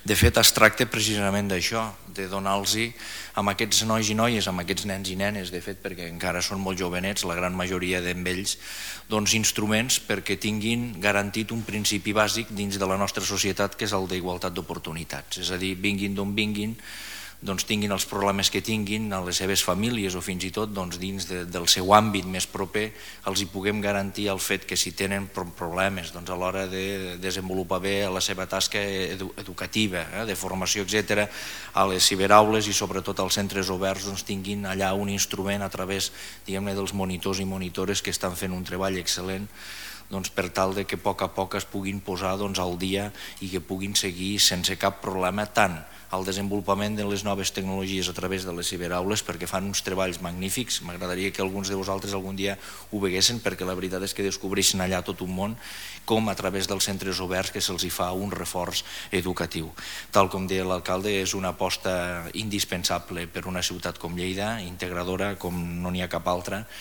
De fet, es tracta precisament d'això, de donar-los a aquests nois i noies, a aquests nens i nenes, de fet, perquè encara són molt jovenets, la gran majoria d'ells, instruments perquè tinguin garantit un principi bàsic dins de la nostra societat, que és el d'igualtat d'oportunitats. És a dir, vinguin d'on vinguin, tinguin els problemes que tinguin a les seves famílies o fins i tot dins del seu àmbit més proper, els hi puguem garantir el fet que si tenen problemes a l'hora de desenvolupar bé la seva tasca educativa, de formació, etc., a les ciberaules i sobretot als centres oberts tinguin allà un instrument a través dels monitors i monitores que estan fent un treball excel·lent per tal que a poc es puguin posar al dia i que puguin seguir sense cap problema tant el desenvolupament de les noves tecnologies a través de les ciberaules, perquè fan uns treballs magnífics. M'agradaria que alguns de vosaltres algun dia ho veguessin, perquè la veritat és que descobreixen allà tot un món, com a través dels centres oberts que se'ls fa un reforç educatiu. Tal com deia l'alcalde, és una aposta indispensable per una ciutat com Lleida, integradora com no n'hi ha cap altra,